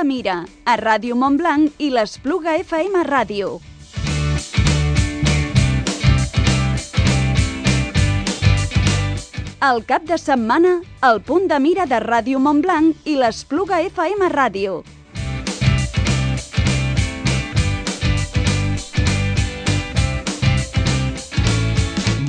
de Mira, a Ràdio Montblanc i l'Espluga FM Ràdio. El cap de setmana, el punt de mira de Ràdio Montblanc i l'Espluga FM Ràdio.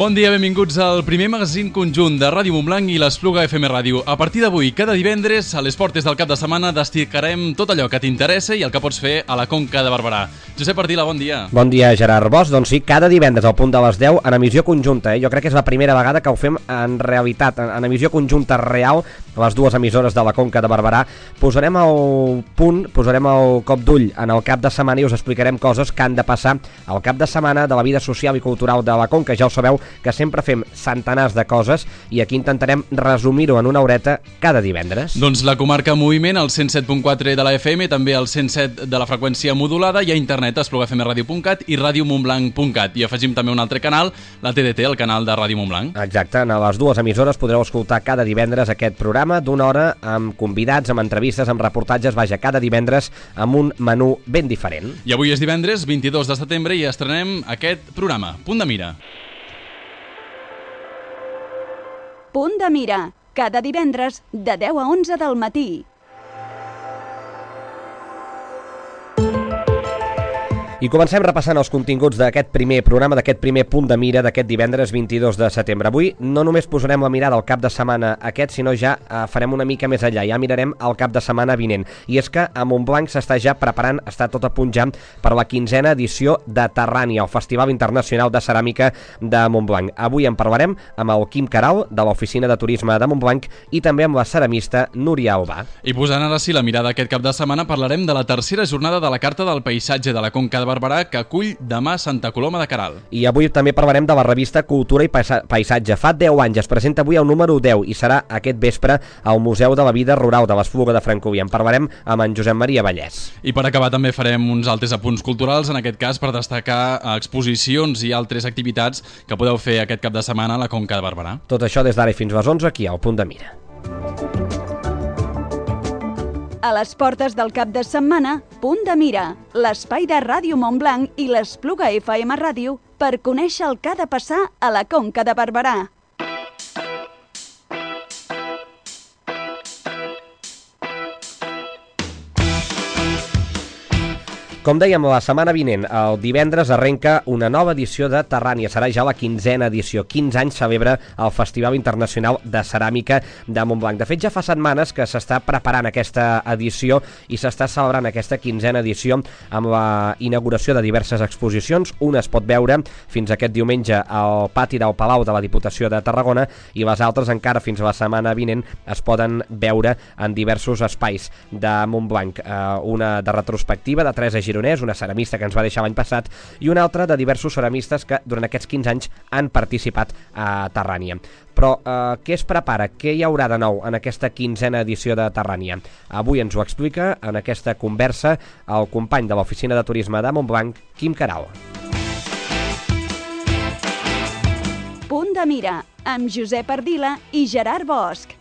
Bon dia, benvinguts al primer magazín conjunt de Ràdio Montblanc i l'Espluga FM Ràdio. A partir d'avui, cada divendres, a les portes del cap de setmana, destacarem tot allò que t'interessa i el que pots fer a la Conca de Barberà. Josep Ardila, bon dia. Bon dia, Gerard Bosch. Doncs sí, cada divendres al punt de les 10 en emissió conjunta. Jo crec que és la primera vegada que ho fem en realitat, en emissió conjunta real, les dues emissores de la Conca de Barberà. Posarem el punt, posarem el cop d'ull en el cap de setmana i us explicarem coses que han de passar al cap de setmana de la vida social i cultural de la Conca. Ja ho sabeu que sempre fem centenars de coses i aquí intentarem resumir-ho en una horeta cada divendres. Doncs la comarca en moviment, al 107.4 de la FM, també al 107 de la freqüència modulada i a internet a esplugafmradio.cat i radiomontblanc.cat. I afegim també un altre canal, la TDT, el canal de Ràdio Montblanc. Exacte, en les dues emissores podreu escoltar cada divendres aquest programa d'una hora amb convidats, amb entrevistes, amb reportatges, vaja, cada divendres amb un menú ben diferent. I avui és divendres, 22 de setembre, i estrenem aquest programa, Punt de Mira. Punt de Mira, cada divendres de 10 a 11 del matí. I comencem repassant els continguts d'aquest primer programa, d'aquest primer punt de mira d'aquest divendres 22 de setembre. Avui no només posarem la mirada al cap de setmana aquest, sinó ja farem una mica més enllà, ja mirarem el cap de setmana vinent. I és que a Montblanc s'està ja preparant, està tot a punt ja per la 15a edició de Terrània, el Festival Internacional de Ceràmica de Montblanc. Avui en parlarem amb el Quim Queralt, de l'Oficina de Turisme de Montblanc, i també amb la ceramista Núria Albà. I posant ara sí la mirada aquest cap de setmana, parlarem de la tercera jornada de la Carta del Paisatge de la Conca de Barberà, que acull demà Santa Coloma de Queralt. I avui també parlarem de la revista Cultura i Paisatge. Fa 10 anys, es presenta avui el número 10 i serà aquest vespre al Museu de la Vida Rural de l'Espluga de Francolí. En parlarem amb en Josep Maria Vallès. I per acabar també farem uns altres apunts culturals, en aquest cas per destacar exposicions i altres activitats que podeu fer aquest cap de setmana a la Conca de Barberà. Tot això des d'ara i fins les 11 aquí al Punt de Mira. A les portes del cap de setmana, Punt de Mira, l'espai de Ràdio Montblanc i l'Espluga FM Ràdio per conèixer el que ha de passar a la Conca de Barberà. Com dèiem, la setmana vinent, el divendres, arrenca una nova edició de Terrània. Serà ja la 15a edició. 15 anys celebra el Festival Internacional de Ceràmica de Montblanc. De fet, ja fa setmanes que s'està preparant aquesta edició i s'està celebrant aquesta 15a edició amb la inauguració de diverses exposicions. Una es pot veure fins aquest diumenge al pati del Palau de la Diputació de Tarragona i les altres encara fins a la setmana vinent es poden veure en diversos espais de Montblanc. Una de retrospectiva de Teresa Gironès, una ceramista que ens va deixar l'any passat, i una altra de diversos ceramistes que durant aquests 15 anys han participat a Terrània. Però què es prepara? Què hi haurà de nou en aquesta 15a edició de Terrània? Avui ens ho explica en aquesta conversa el company de l'Oficina de Turisme de Montblanc, Quim Queralt. Punt de Mira, amb Josep Ardila i Gerard Bosch.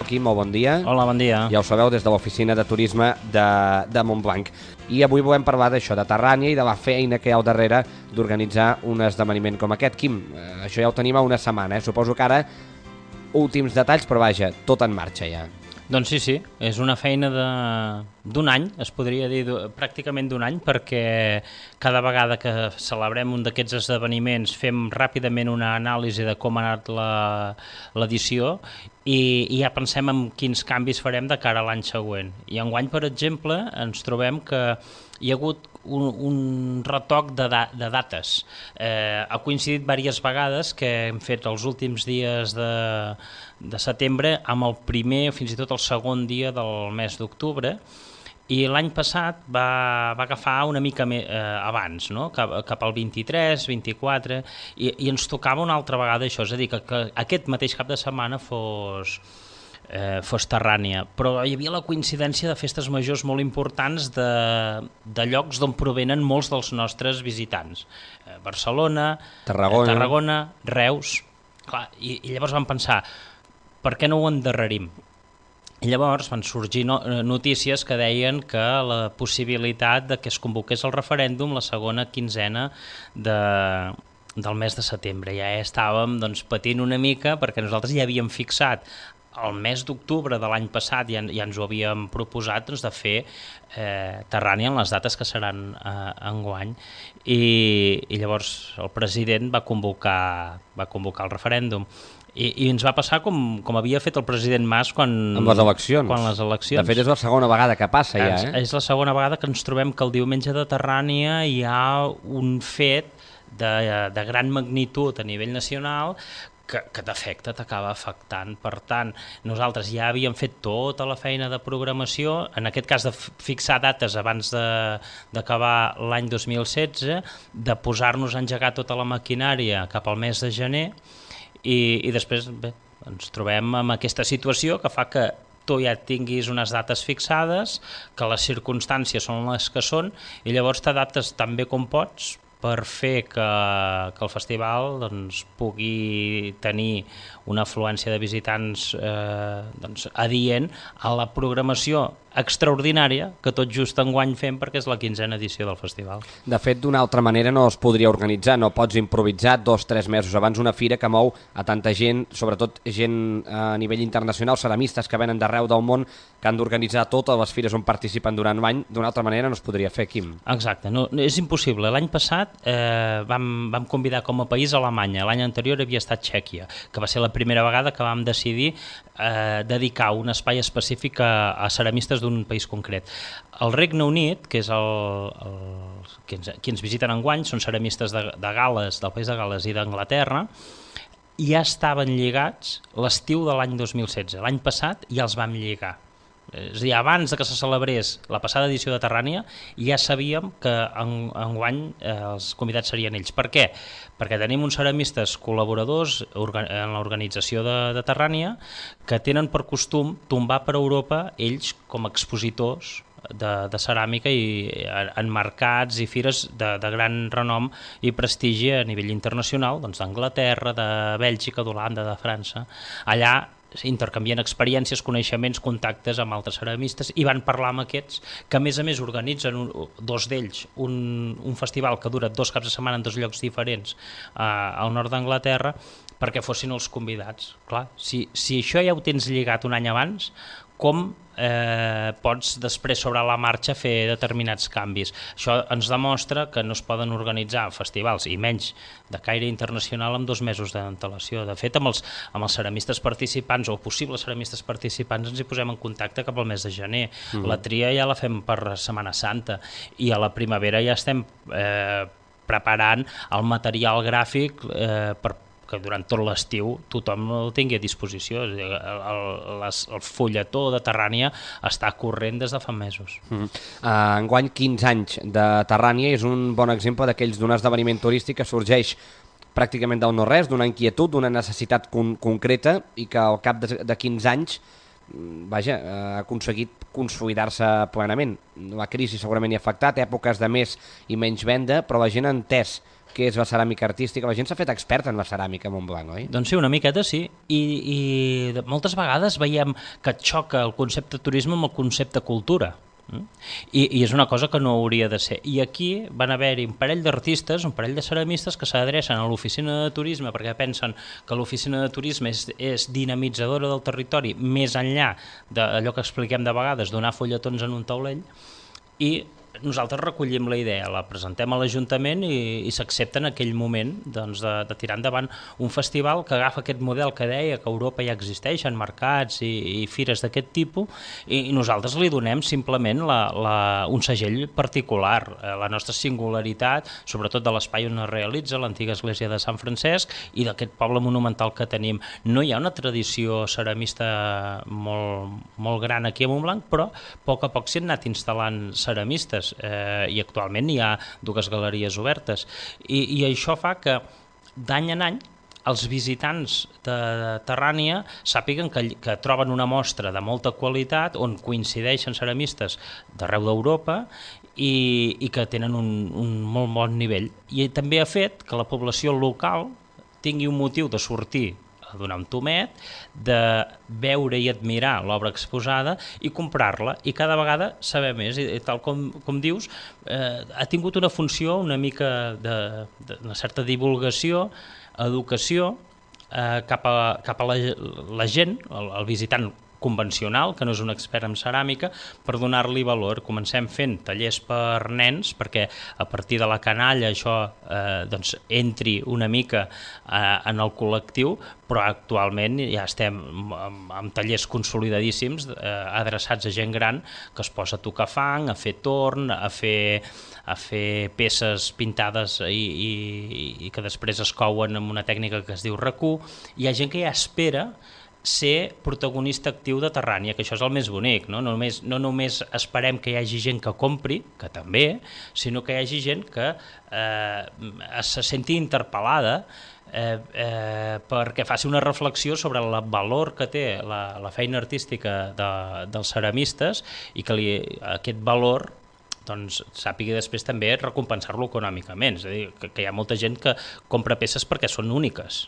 Quim, molt bon dia. Hola, bon dia. Ja ho sabeu, des de l'Oficina de Turisme de Montblanc. I avui volem parlar d'això, de Terrània i de la feina que hi ha al darrere d'organitzar un esdeveniment com aquest. Quim, això ja ho tenim a una setmana, Suposo que ara últims detalls, però vaja, tot en marxa ja. Doncs sí, és una feina d'un any, es podria dir pràcticament d'un any, perquè cada vegada que celebrem un d'aquests esdeveniments fem ràpidament una anàlisi de com ha anat l'edició i ja pensem en quins canvis farem de cara a l'any següent. I enguany, per exemple, ens trobem que hi ha hagut un retoc de dates. Ha coincidit diverses vegades que hem fet els últims dies de setembre amb el primer o fins i tot el segon dia del mes d'octubre, i l'any passat va agafar una mica més abans, no? Cap al 23, 24, i ens tocava una altra vegada això, és a dir, que aquest mateix cap de setmana fos Terrània, però hi havia la coincidència de festes majors molt importants de llocs d'on provenen molts dels nostres visitants. Barcelona, Tarragona, Reus. Clar, i llavors vam pensar, per què no ho endarrerim? Llavors van sorgir notícies que deien que la possibilitat de que es convoqués el referèndum la segona quinzena del mes de setembre. Ja estàvem patint una mica perquè nosaltres ja havíem fixat el mes d'octubre de l'any passat, ja ens ho havíem proposat de fer Terrània en les dates que seran enguany. I llavors el president va convocar el referèndum. I ens va passar com havia fet el president Mas amb les eleccions. Quan les eleccions. De fet, és la segona vegada que passa ja. És la segona vegada que ens trobem que el diumenge de Terrània hi ha un fet de gran magnitud a nivell nacional que t'afecta, t'acaba afectant. Per tant, nosaltres ja havíem fet tota la feina de programació, en aquest cas de fixar dates abans d'acabar l'any 2016, de posar-nos a engegar tota la maquinària cap al mes de gener, i després ens trobem amb aquesta situació que fa que tu ja tinguis unes dates fixades, que les circumstàncies són les que són, i llavors t'adaptes tan bé com pots per fer que el festival pugui tenir una afluència de visitants adient a la programació extraordinària que tot just enguany fem perquè és la 15a edició del festival. De fet, d'una altra manera no es podria organitzar, no pots improvisar 2 o 3 mesos abans una fira que mou a tanta gent, sobretot gent a nivell internacional, ceramistes que venen d'arreu del món, que han d'organitzar totes les fires on participen durant l'any. D'una altra manera no es podria fer, Quim. Exacte, no, és impossible. L'any passat vam convidar com a país a Alemanya, l'any anterior havia estat Txèquia, que va ser la primera vegada que vam decidir dedicar un espai específic a ceramistes d'un país concret. El Regne Unit, que és qui ens visiten enguany, són ceramistes de Gal·les, del país de Gal·les i d'Anglaterra, ja estaven lligats l'estiu de l'any 2016. L'any passat ja els vam lligar. És a dir, abans que se celebrés la passada edició de Terrània ja sabíem que enguany els convidats serien ells. Per què? Perquè tenim uns ceramistes col·laboradors en l'organització de Terrània que tenen per costum tombar per Europa ells com a expositors de ceràmica i en mercats i fires de gran renom i prestigi a nivell internacional, d'Anglaterra, de Bèlgica, d'Holanda, de França. Allà intercanvien experiències, coneixements, contactes amb altres ceramistes i van parlar amb aquests que a més organitzen, 2 d'ells, un festival que dura 2 caps de setmana en 2 llocs diferents al nord d'Anglaterra perquè fossin els convidats. Clar, si això ja ho tens lligat un any abans, com pots després sobre la marxa fer determinats canvis? Això ens demostra que no es poden organitzar festivals, i menys de caire internacional, amb 2 mesos d'antelació. De fet, amb els ceramistes participants o possibles ceramistes participants ens hi posem en contacte cap al mes de gener. La tria ja la fem per Setmana Santa i a la primavera ja estem preparant el material gràfic que durant tot l'estiu tothom el tingui a disposició. El fulletó de Terrània està corrent des de fa mesos. Enguany 15 anys de Terrània és un bon exemple d'aquells d'un esdeveniment turístic que sorgeix pràcticament del no-res, d'una inquietud, d'una necessitat concreta i que al cap de 15 anys ha aconseguit consolidar-se plenament. La crisi segurament hi ha afectat, èpoques de més i menys venda, però la gent ha entès què és la ceràmica artística. La gent s'ha fet experta en la ceràmica a Montblanc, oi? Doncs sí, una miqueta sí. I moltes vegades veiem que xoca el concepte turisme amb el concepte cultura. I és una cosa que no hauria de ser. I aquí van haver-hi un parell d'artistes, un parell de ceramistes que s'adrecen a l'oficina de turisme perquè pensen que l'oficina de turisme és dinamitzadora del territori més enllà d'allò que expliquem de vegades, donar fulletons en un taulell, i nosaltres recollim la idea, la presentem a l'Ajuntament i s'accepta en aquell moment de tirar endavant un festival que agafa aquest model que deia que a Europa ja existeixen mercats i fires d'aquest tipus, i nosaltres li donem simplement un segell particular, la nostra singularitat, sobretot de l'espai on es realitza, l'antiga església de Sant Francesc, i d'aquest poble monumental que tenim. No hi ha una tradició ceramista molt gran aquí a Montblanc, però a poc s'hi han anat instal·lant ceramistes, i actualment hi ha 2 galeries obertes, i això fa que d'any en any els visitants de Terrània sàpiguen que troben una mostra de molta qualitat on coincideixen ceramistes d'arreu d'Europa i que tenen un molt bon nivell, i també ha fet que la població local tingui un motiu de sortir donar un tomet, de veure i admirar l'obra exposada i comprar-la, i cada vegada saber més, i tal com dius, ha tingut una funció una mica d'una certa divulgació, educació, cap a la gent, el visitant convencional, que no és un expert en ceràmica, per donar-li valor. Comencem fent tallers per nens, perquè a partir de la canalla això entri una mica en el col·lectiu, però actualment ja estem amb tallers consolidadíssims adreçats a gent gran que es posa a tocar fang, a fer torn, a fer peces pintades i que després es couen amb una tècnica que es diu racú. Hi ha gent que ja espera ser protagonista actiu de Terrània, que això és el més bonic, no? No només esperem que hi hagi gent que compri, que també, sinó que hi hagi gent que se senti interpel·lada perquè faci una reflexió sobre el valor que té la feina artística dels ceramistes i que aquest valor sàpiga després també recompensar-lo econòmicament. És a dir, que hi ha molta gent que compra peces perquè són úniques.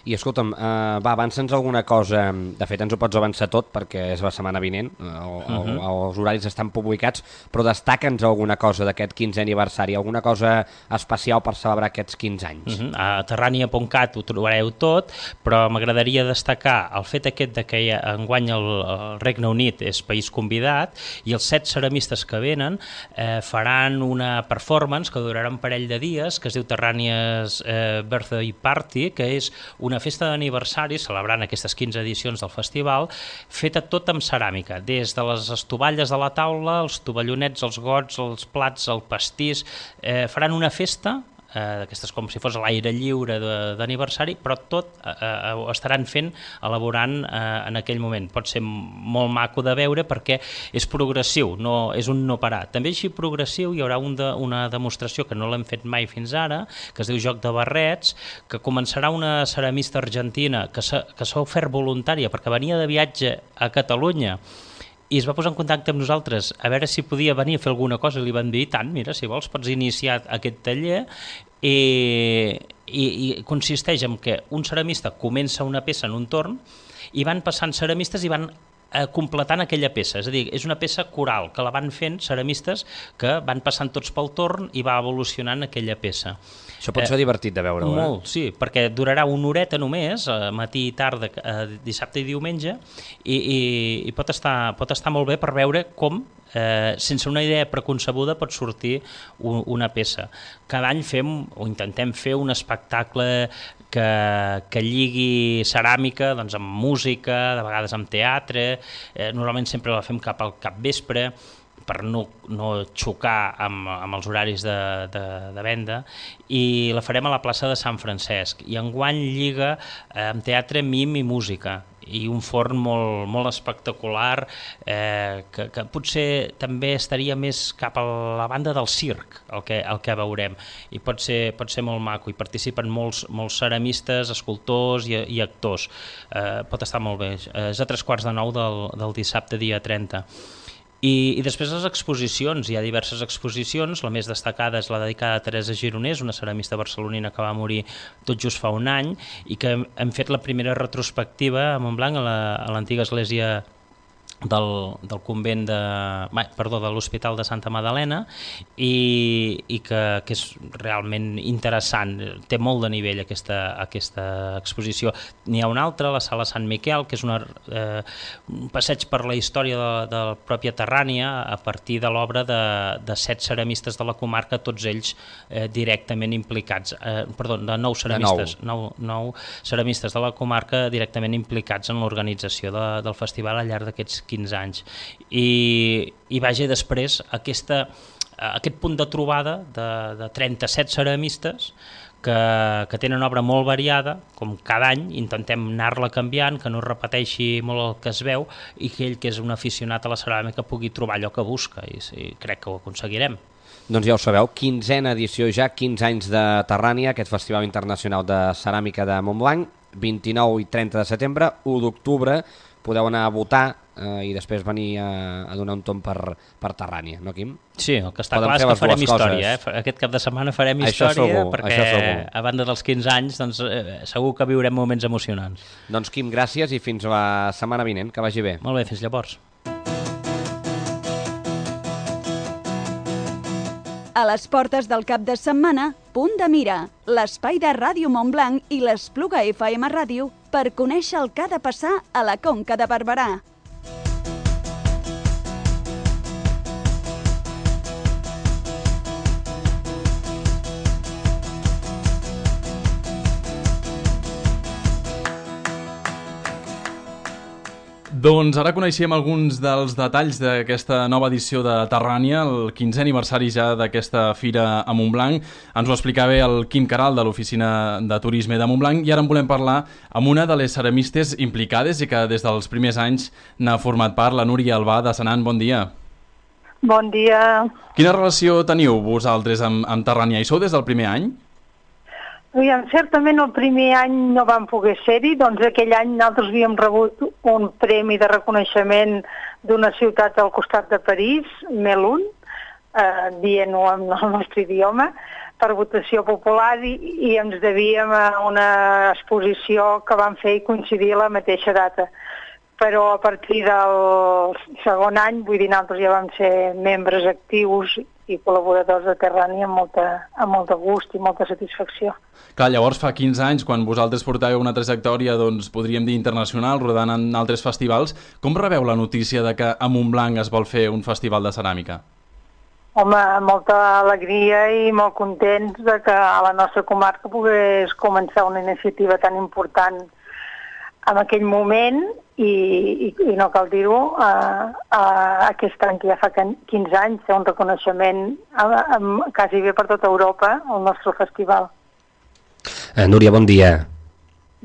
I escolta'm, avança'ns alguna cosa, de fet ens ho pots avançar tot perquè és la setmana vinent, els horaris estan publicats, però destaca'ns alguna cosa d'aquest 15è aniversari, alguna cosa especial per celebrar aquests 15 anys. A terrania.cat ho trobareu tot, però m'agradaria destacar el fet aquest de que enguany el Regne Unit és país convidat i els 7 ceramistes que venen faran una performance que durarà un parell de dies, que es diu Terrania's Birthday Party, que és una festa d'aniversari celebrant aquestes 15 edicions del festival, feta tot amb ceràmica, des de les estovalles de la taula, els tovallonets, els gots, els plats, el pastís. Faran una festa d'aquestes com si fos a l'aire lliure d'aniversari, però tot ho estaran elaborant en aquell moment. Pot ser molt maco de veure perquè és progressiu, és un no parar. També així progressiu hi haurà una demostració que no l'hem fet mai fins ara, que es diu Joc de Barrets, que començarà una ceramista argentina que s'ha ofert voluntària perquè venia de viatge a Catalunya i es va posar en contacte amb nosaltres a veure si podia venir a fer alguna cosa, i li van dir, tant, mira, si vols pots iniciar aquest taller, i consisteix en que un ceramista comença una peça en un torn i van passant ceramistes i van completant aquella peça, és a dir, és una peça coral que la van fent ceramistes que van passant tots pel torn i va evolucionant aquella peça. Això pot ser divertit de veure-ho, Molt, sí, perquè durarà una horeta només, matí i tarda, dissabte i diumenge, i pot estar molt bé per veure com, sense una idea preconcebuda, pot sortir una peça. Cada any intentem fer un espectacle que lligui ceràmica amb música, de vegades amb teatre, normalment sempre la fem cap al capvespre, per no xocar amb els horaris de venda, i la farem a la plaça de Sant Francesc. I enguany lliga amb teatre, mim i música, i un forn molt espectacular, que potser també estaria més cap a la banda del circ, el que veurem, i pot ser molt maco. Hi participen molts ceramistes, escultors i actors. Pot estar molt bé. És a 8:45 del dissabte, dia 30. I després les exposicions, hi ha diverses exposicions, la més destacada és la dedicada a Teresa Gironès, una ceramista barcelonina que va morir tot just fa un any, i que hem fet la primera retrospectiva a Montblanc, a l'antiga església del convent de l'Hospital de Santa Magdalena, i que és realment interessant, té molt de nivell aquesta exposició. N'hi ha una altra, la Sala Sant Miquel, que és un passeig per la història de la pròpia Terrània a partir de l'obra de 7 ceramistes de la comarca, tots ells directament implicats, de 9 ceramistes, 9 ceramistes de la comarca directament implicats en l'organització del festival al llarg d'aquests 15 anys. I vaja, després aquest punt de trobada de 37 ceramistes que tenen obra molt variada, com cada any intentem anar-la canviant, que no repeteixi molt el que es veu, i que ell, que és un aficionat a la ceràmica, pugui trobar allò que busca, i crec que ho aconseguirem. Doncs ja ho sabeu, 15a edició ja, 15 anys de Terrània, aquest Festival Internacional de Ceràmica de Montblanc, 29 i 30 de setembre, 1 d'octubre, podeu anar a votar i després venir a donar un tomb per Terrània, no, Quim? Sí, el que està clar és que farem història. Aquest cap de setmana farem història perquè a banda dels 15 anys doncs, segur que viurem moments emocionants. Doncs Quim, gràcies i fins la setmana vinent, que vagi bé. Molt bé, fins llavors. A les portes del cap de setmana, Punt de Mira, l'espai de Ràdio Montblanc i l'Espluga FM Ràdio per conèixer el que ha de passar a la Conca de Barberà. Doncs ara coneixem alguns dels detalls d'aquesta nova edició de Terrània, el 15è aniversari ja d'aquesta fira a Montblanc. Ens ho explicava el Quim Caral de l'Oficina de Turisme de Montblanc i ara en volem parlar amb una de les ceramistes implicades i que des dels primers anys n'ha format part, la Núria Albà de Senan. Bon dia. Bon dia. Quina relació teniu vosaltres amb Terrània? Hi sou des del primer any? Certament el primer any no vam poder ser-hi, doncs aquell any nosaltres havíem rebut un premi de reconeixement d'una ciutat al costat de París, Melun, dient-ho en el nostre idioma, per votació popular i ens devíem a una exposició que vam fer i coincidir a la mateixa data. Però a partir del segon any, vull dir, nosaltres ja vam ser membres actius i col·laboradors de Terrània amb molt de gust i molta satisfacció. Clar, llavors fa 15 anys, quan vosaltres portàveu una trajectòria, doncs, podríem dir internacional, rodant en altres festivals, com rebeu la notícia de que a Montblanc es vol fer un festival de ceràmica? Home, molta alegria i molt contents de que a la nostra comarca pogués començar una iniciativa tan important en aquell moment i no cal dir-ho, aquest any que ja fa 15 anys, té un reconeixement quasi bé per tota Europa, el nostre festival. Núria, bon dia.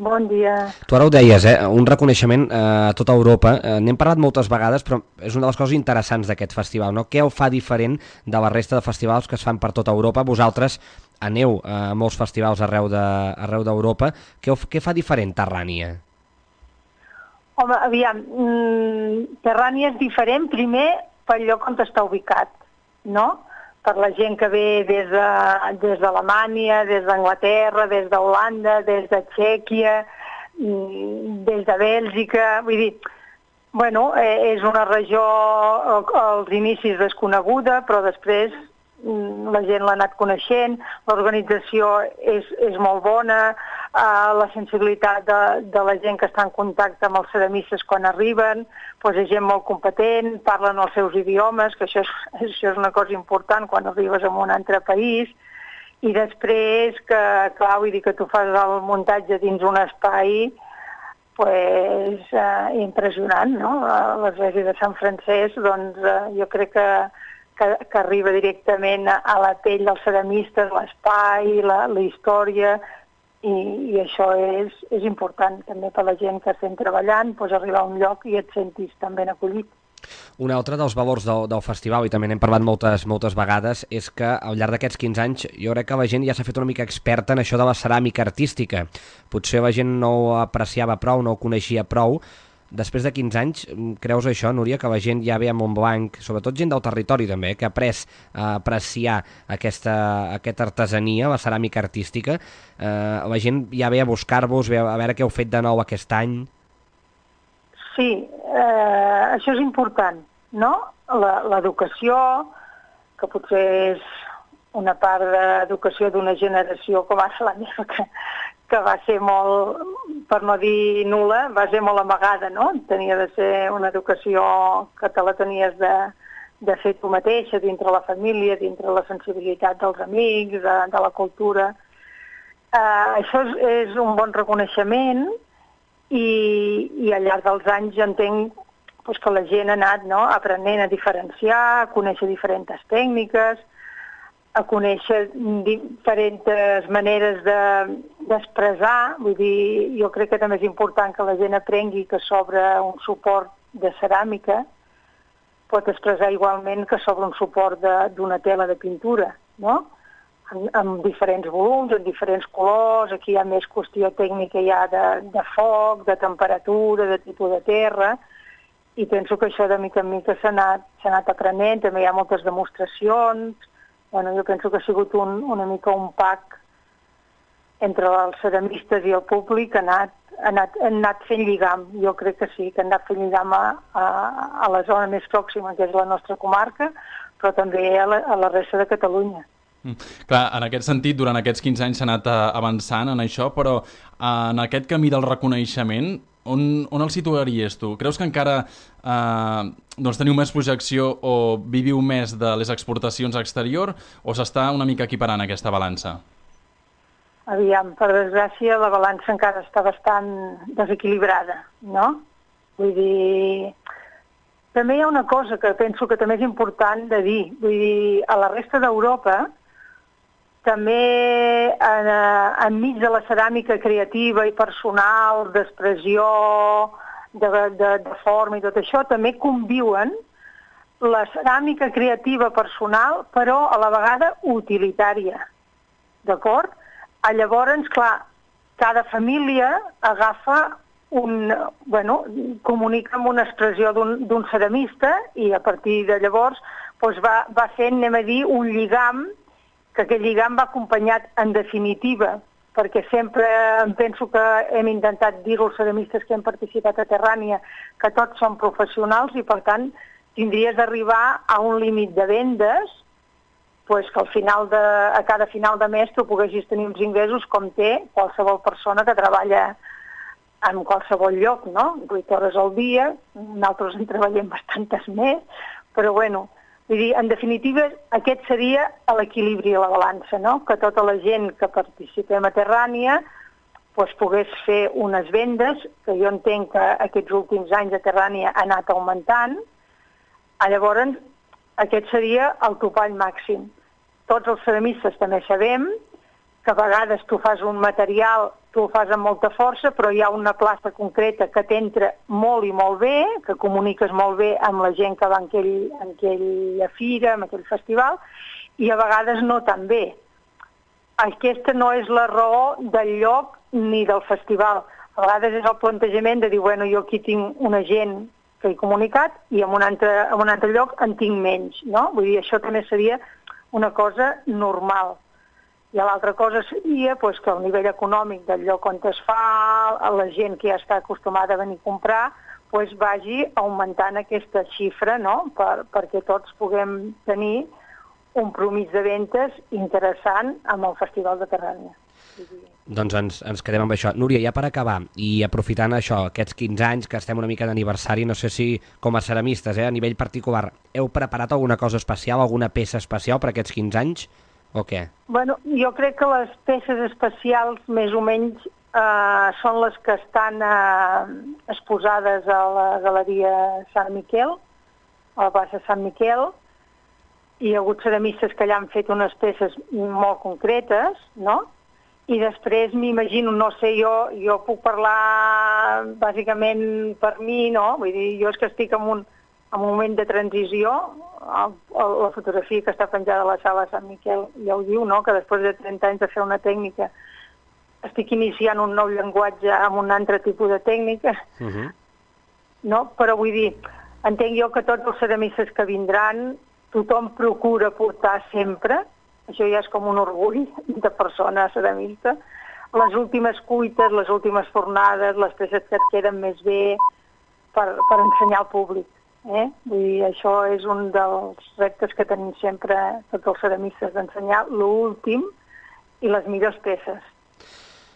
Bon dia. Tu ara ho deies, un reconeixement a tota Europa. N'hem parlat moltes vegades, però és una de les coses interessants d'aquest festival, no? Què ho fa diferent de la resta de festivals que es fan per tota Europa? Vosaltres aneu a molts festivals arreu d'Europa. Què fa diferent Terrània? Home, aviam, Terrània és diferent primer pel lloc on està ubicat, no? Per la gent que ve des d'Alemanya, des d'Anglaterra, des d'Holanda, des de Txèquia, des de Bèlgica, vull dir, bueno, és una regió als inicis desconeguda, però després la gent l'ha anat coneixent, l'organització és molt bona, la sensibilitat de la gent que està en contacte amb els ceramistes quan arriben, doncs és gent molt competent, parlen els seus idiomes, que això és una cosa important quan arribes a un altre país, i després que, clar, vull dir que tu fas el muntatge dins un espai pues, impressionant, no? L'església de Sant Francesc, doncs jo crec que arriba directament a la pell dels ceramistes, l'espai, la història, i això és important també per la gent que estem treballant, doncs arribar a un lloc i et sentis tan ben acollit. Un altre dels valors del festival, i també n'hem parlat moltes vegades, és que al llarg d'aquests 15 anys jo crec que la gent ja s'ha fet una mica experta en això de la ceràmica artística. Potser la gent no ho apreciava prou, no ho coneixia prou. Després de 15 anys, creus això, Núria, que la gent ja ve a Montblanc, sobretot gent del territori també, que ha après a apreciar aquesta artesania, la ceràmica artística, la gent ja ve a buscar-vos, a veure què heu fet de nou aquest any? Sí, això és important, no? L'educació, que potser és una part d'educació d'una generació com va ser la meva, que va ser molt, per no dir nul·la, va ser molt amagada, no? Tenia de ser una educació que te la tenies de fer tu mateixa, dintre la família, dintre la sensibilitat dels amics, de la cultura. Això és un bon reconeixement i al llarg dels anys jo entenc que la gent ha anat aprenent a diferenciar, a conèixer diferents tècniques, a conèixer diferents maneres d'expressar. Vull dir, jo crec que també és important que la gent aprengui que sobre un suport de ceràmica pot expressar igualment que sobre un suport d'una tela de pintura, no? Amb diferents volums, amb diferents colors. Aquí hi ha més qüestió tècnica ja de foc, de temperatura, de tipus de terra, i penso que això de mica en mica s'ha anat aprenent, també hi ha moltes demostracions, bueno, jo penso que ha sigut una mica un pack entre els ceramistes i el públic, han anat fent lligam, jo crec que sí, que han anat fent lligam a la zona més pròxima, que és la nostra comarca, però també a la resta de Catalunya. Clar, en aquest sentit, durant aquests 15 anys s'ha anat avançant en això, però en aquest camí del reconeixement, on el situaries tu? Creus que encara teniu més projecció o viviu més de les exportacions a exterior o s'està una mica equiparant aquesta balança? Aviam, per desgràcia, la balança encara està bastant desequilibrada, no? Vull dir, també hi ha una cosa que penso que també és important de dir. Vull dir, a la resta d'Europa, també enmig de la ceràmica creativa i personal, d'expressió, de forma i tot això, també conviuen la ceràmica creativa personal, però a la vegada utilitària, d'acord? Llavors, clar, cada família agafa comunica amb una expressió d'un ceramista i a partir de llavors va fent, anem a dir, un lligam, que aquest lligam va acompanyat en definitiva, perquè sempre em penso que hem intentat dir als ceramistes que hem participat a Terrània que tots són professionals i per tant tindries d'arribar a un límit de vendes que a cada final de mes tu poguessis tenir uns ingressos com té qualsevol persona que treballa en qualsevol lloc, no? 8 hores al dia, nosaltres en treballem bastantes més, però bueno, vull dir, en definitiva, aquest seria l'equilibri a la balança, no? Que tota la gent que participem a Terrània pogués fer unes vendes, que jo entenc que aquests últims anys a Terrània ha anat augmentant. Llavors, aquest seria el topall màxim. Tots els ceramistes també sabem que a vegades tu fas un material, tu ho fas amb molta força, però hi ha una plaça concreta que t'entra molt i molt bé, que comuniques molt bé amb la gent que va en aquella fira, en aquell festival, i a vegades no tan bé. Aquesta no és la raó del lloc ni del festival. A vegades és el plantejament de dir, bueno, jo aquí tinc una gent que he comunicat i en un altre lloc en tinc menys, no? Vull dir, això també seria una cosa normal. I l'altra cosa seria que el nivell econòmic del lloc on es fa, la gent que ja està acostumada a venir a comprar, vagi augmentant aquesta xifra, no? Perquè tots puguem tenir un promís de ventes interessant amb el Festival de Terrània. Doncs ens quedem amb això. Núria, ja per acabar, i aprofitant això, aquests 15 anys que estem una mica d'aniversari, no sé si com a ceramistes, a nivell particular, heu preparat alguna cosa especial, alguna peça especial per aquests 15 anys? O què? Bueno, jo crec que les peces especials més o menys són les que estan exposades a la Galeria Sant Miquel, a la plaça Sant Miquel. Hi ha hagut ceramistes que allà han fet unes peces molt concretes, no? I després m'imagino, no sé, jo puc parlar bàsicament per mi, no? Vull dir, jo és que estic en un moment de transició. La fotografia que està penjada a la sala Sant Miquel ja ho diu, no? Que després de 30 anys de fer una tècnica estic iniciant un nou llenguatge amb un altre tipus de tècnica, no? Però vull dir, entenc jo que tots els ceramistes que vindran, tothom procura portar sempre, això ja és com un orgull de persona ceramista, les últimes cuites, les últimes fornades, les peces que et queden més bé per ensenyar al públic. Vull dir, això és un dels reptes que tenim sempre tots els ceramistes, d'ensenyar l'últim i les millors peces.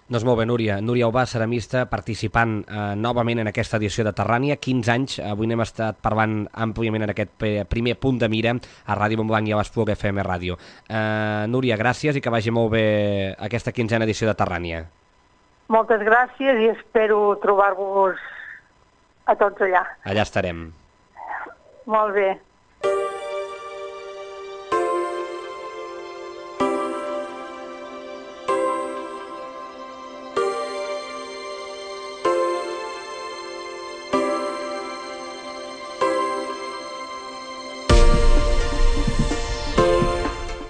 Doncs molt bé, Núria. Núria Ubà, ceramista, participant novament en aquesta edició de Terrània. 15 anys, avui n'hem estat parlant àmpliament en aquest primer punt de mira a Ràdio Montblanc i a l'Espluga FM Ràdio. Núria, gràcies i que vagi molt bé aquesta 15a edició de Terrània. Moltes gràcies i espero trobar-vos a tots allà. Allà estarem. Molt bé.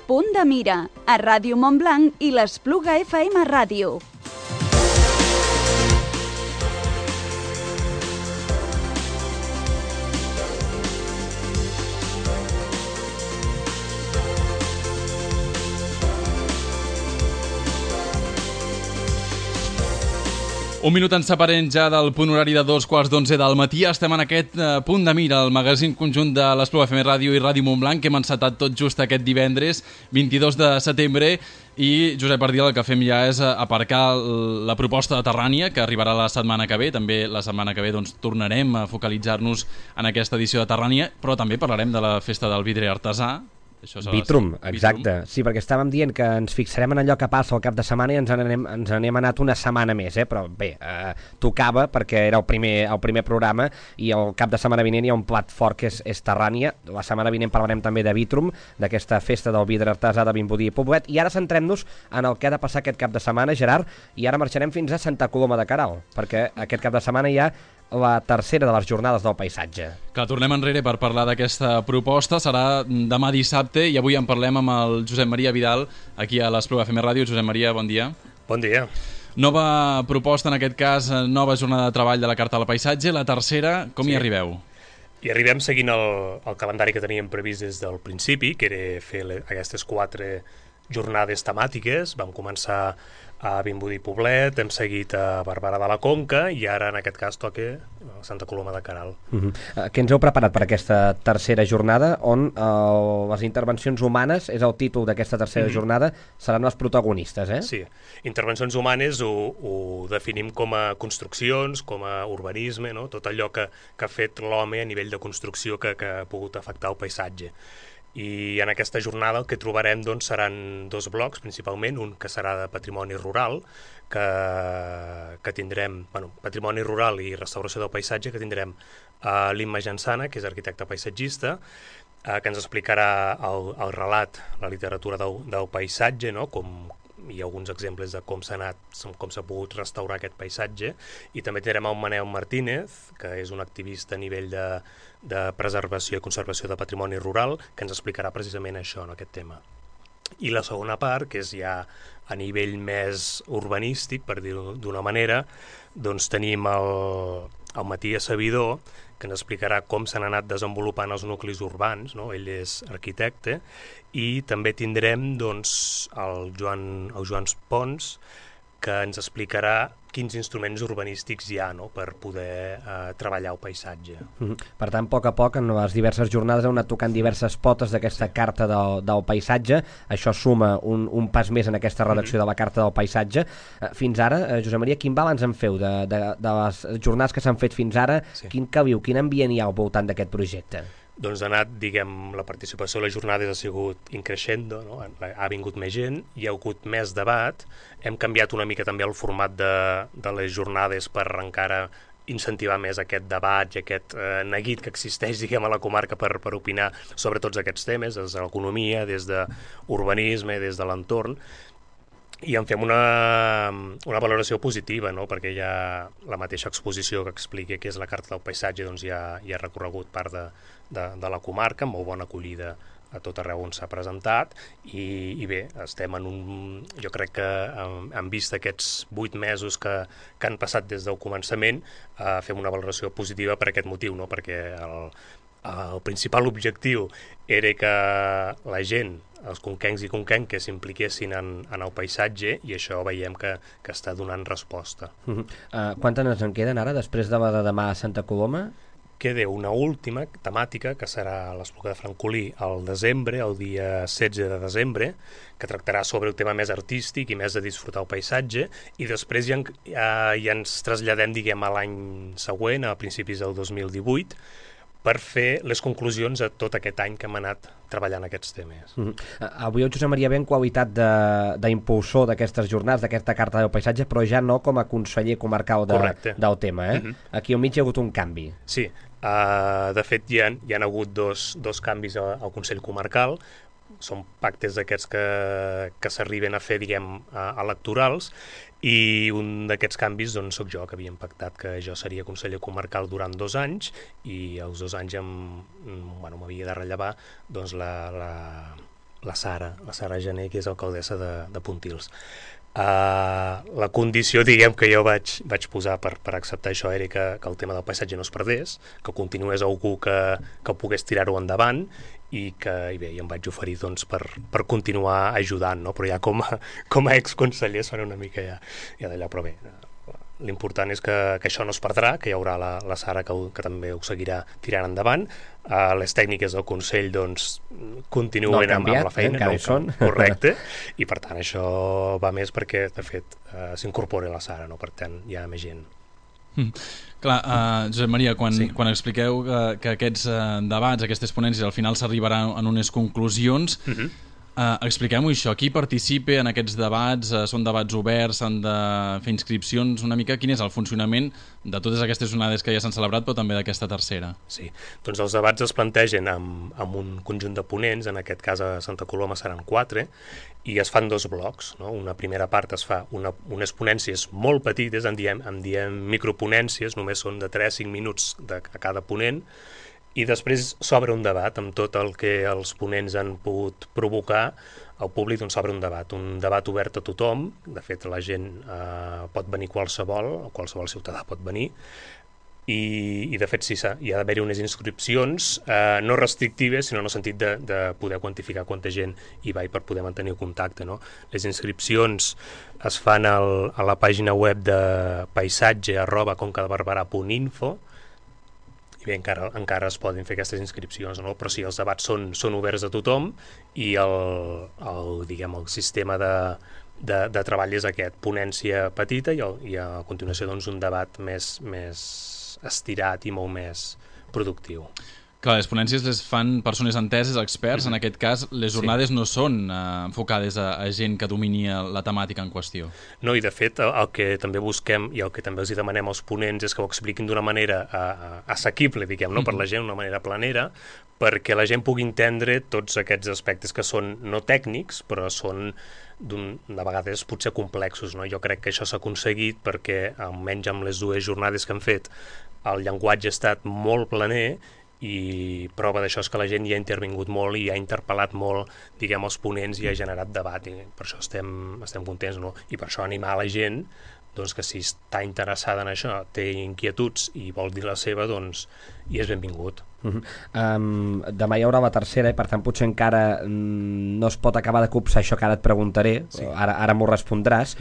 Punt de mira, a Ràdio Montblanc i l'Espluga FM Ràdio. Un minut ens separem ja del punt horari de 2:15 del matí. Estem en aquest punt de mira, el magazín conjunt de l'Espluga FM Ràdio i Ràdio Montblanc, que hem encetat tot just aquest divendres, 22 de setembre, i Josep Ardil, el que fem ja és aparcar la proposta de Terrània, que arribarà la setmana que ve. També la setmana que ve tornarem a focalitzar-nos en aquesta edició de Terrània, però també parlarem de la festa del vidre artesà. Vitrum, exacte. Sí, perquè estàvem dient que ens fixarem en allò que passa al cap de setmana i ens n'hem anat una setmana més, però bé, tocava perquè era el primer programa i el cap de setmana vinent hi ha un plat fort que és Terrània. La setmana vinent parlarem també de Vitrum, d'aquesta festa del vidre artesà de Vimbodí i Poblet, i ara centrem-nos en el que ha de passar aquest cap de setmana, Gerard, i ara marxarem fins a Santa Coloma de Queralt, perquè aquest cap de setmana hi ha la tercera de les jornades del paisatge. Clar, tornem enrere per parlar d'aquesta proposta. Serà demà dissabte i avui en parlem amb el Josep Maria Vidal, aquí a l'Espluga FM Ràdio. Josep Maria, bon dia. Bon dia. Nova proposta, en aquest cas, nova jornada de treball de la Carta del Paisatge. La tercera, com hi arribeu? Hi arribem seguint el calendari que teníem previst des del principi, que era fer aquestes 4 jornades temàtiques. Vam començar a Vimbodí i Poblet, hem seguit a Barberà de la Conca i ara en aquest cas toca a Santa Coloma de Queralt. Què ens heu preparat per aquesta tercera jornada on les intervencions humanes, és el títol d'aquesta tercera jornada, seran les protagonistes, eh? Sí, intervencions humanes ho definim com a construccions, com a urbanisme, no? Tot allò que ha fet l'home a nivell de construcció que ha pogut afectar el paisatge. I en aquesta jornada el que trobarem seran 2 blocs, principalment, un que serà de patrimoni rural, que tindrem, patrimoni rural i restauració del paisatge, que tindrem l'Imma Jansana, que és arquitecte paisatgista, que ens explicarà el relat, la literatura del paisatge, no? Hi ha alguns exemples de com s'ha pogut restaurar aquest paisatge, i també tindrem el Manel Martínez, que és un activista a nivell de preservació i conservació de patrimoni rural, que ens explicarà precisament això, aquest tema. I la segona part, que és ja a nivell més urbanístic, per dir-ho d'una manera, tenim el Matías Sabidor, que ens explicarà com s'han anat desenvolupant els nuclis urbans, no? Ell és arquitecte, i també tindrem el Joan Pons, que ens explicarà quins instruments urbanístics hi ha, no? Per poder treballar el paisatge. Per tant, a poc, en les diverses jornades heu anat tocant diverses potes d'aquesta carta del paisatge. Això suma un pas més en aquesta redacció de la carta del paisatge. Fins ara, Josep Maria, quin balanç en feu de les jornades que s'han fet fins ara? Sí. Quin ambient hi ha al voltant d'aquest projecte? Doncs ha anat, la participació a les jornades ha sigut increixendo, no? Ha vingut més gent, hi ha hagut més debat, hem canviat una mica també el format de les jornades per encara incentivar més aquest debat i aquest neguit que existeix, a la comarca per opinar sobre tots aquests temes, des de l'economia, des d'urbanisme, des de l'entorn, i en fem una valoració positiva, no? Perquè ja la mateixa exposició que explica què és la Carta del Paisatge ja ha recorregut part de la comarca, amb molt bona acollida a tot arreu on s'ha presentat, i bé, estem jo crec que en vista aquests 8 mesos que han passat des del començament, fem una valoració positiva per aquest motiu, no? Perquè el principal objectiu era que la gent, els conquencs i conquenques, s'impliquessin en el paisatge, i això veiem que està donant resposta. Quantes en queden ara, després de la de demà a Santa Coloma? Queda una última temàtica, que serà l'Espluga de Francolí al desembre, el dia 16 de desembre, que tractarà sobre el tema més artístic i més de disfrutar el paisatge, i després ja ens traslladem, a l'any següent, a principis del 2018, per fer les conclusions a tot aquest any que hem anat treballant aquests temes. Avui el Josep Maria ve en qualitat d'impulsor d'aquestes jornades, d'aquesta Carta del Paisatge, però ja no com a conseller comarcal del tema. Aquí al mig hi ha hagut un canvi. Sí, de fet hi han hagut dos canvis al Consell Comarcal. Són pactes d'aquests que s'arriben a fer, electorals, i un d'aquests canvis soc jo, que havíem pactat que jo seria conseller comarcal durant 2 anys, i els 2 anys m'havia de rellevar la Sara Gené, que és alcaldessa de Pontils. La condició, que jo vaig posar per acceptar això era que el tema del paisatge no es perdés, que continués algú que pogués tirar-ho endavant, i em vaig oferir per continuar ajudant, no? Però ja com a exconseller sona una mica ja d'allò, però bé, l'important és que això no es perdrà, que hi haurà la Sara que també ho seguirà tirant endavant. Les tècniques del Consell doncs, continuen amb la feina, encara hi són. Correcte, i per tant això va més perquè de fet s'incorpora la Sara, no? Per tant hi ha més gent. Clar, Josep Maria, quan expliqueu que aquests debats, aquestes ponències, al final s'arribarà en unes conclusions, expliquem-ho això, qui participa en aquests debats, són debats oberts, s'han de fer inscripcions, una mica quin és el funcionament de totes aquestes jornades que ja s'han celebrat, però també d'aquesta tercera? Sí, doncs els debats es plantegen amb un conjunt de ponents, en aquest cas a Santa Coloma seran 4, i es fan 2 blocs, no? Una primera part es fa unes ponències molt petites, en diem microponències, només són de 3-5 minuts a cada ponent, i després s'obre un debat amb tot el que els ponents han pogut provocar al públic, doncs s'obre un debat obert a tothom. De fet, la gent pot venir qualsevol ciutadà pot venir, i de fet sí, hi ha d'haver-hi unes inscripcions no restrictives, sinó en el sentit de poder quantificar quanta gent hi va i per poder mantenir el contacte, no? Les inscripcions es fan a la pàgina web de paisatge@concadebarberà.info, i bé, encara es poden fer aquestes inscripcions, no? Però sí, els debats són oberts a tothom, i el sistema de treball és aquest, ponència petita i a continuació doncs, un debat més estirat i molt més productiu. Clar, les ponències les fan persones enteses, experts. En aquest cas, les jornades no són enfocades a gent que domini la temàtica en qüestió. No, i de fet, el que també busquem i el que també els hi demanem als ponents és que ho expliquin d'una manera assequible, diguem, no? Per la gent, d'una manera planera, perquè la gent pugui entendre tots aquests aspectes que són no tècnics, però són de vegades potser complexos, no? Jo crec que això s'ha aconseguit perquè, almenys amb les 2 jornades que han fet, el llenguatge ha estat molt planer, i prova d'això és que la gent hi ha intervingut molt i ha interpel·lat molt, diguem, els ponents, i ha generat debat, i per això estem contents, no? I per això animar la gent doncs, que si està interessada en això, té inquietuds i vol dir la seva, doncs hi és benvingut. Demà hi haurà la tercera, i per tant potser encara no es pot acabar de copsar això que ara et preguntaré, sí. Ara m'ho respondràs.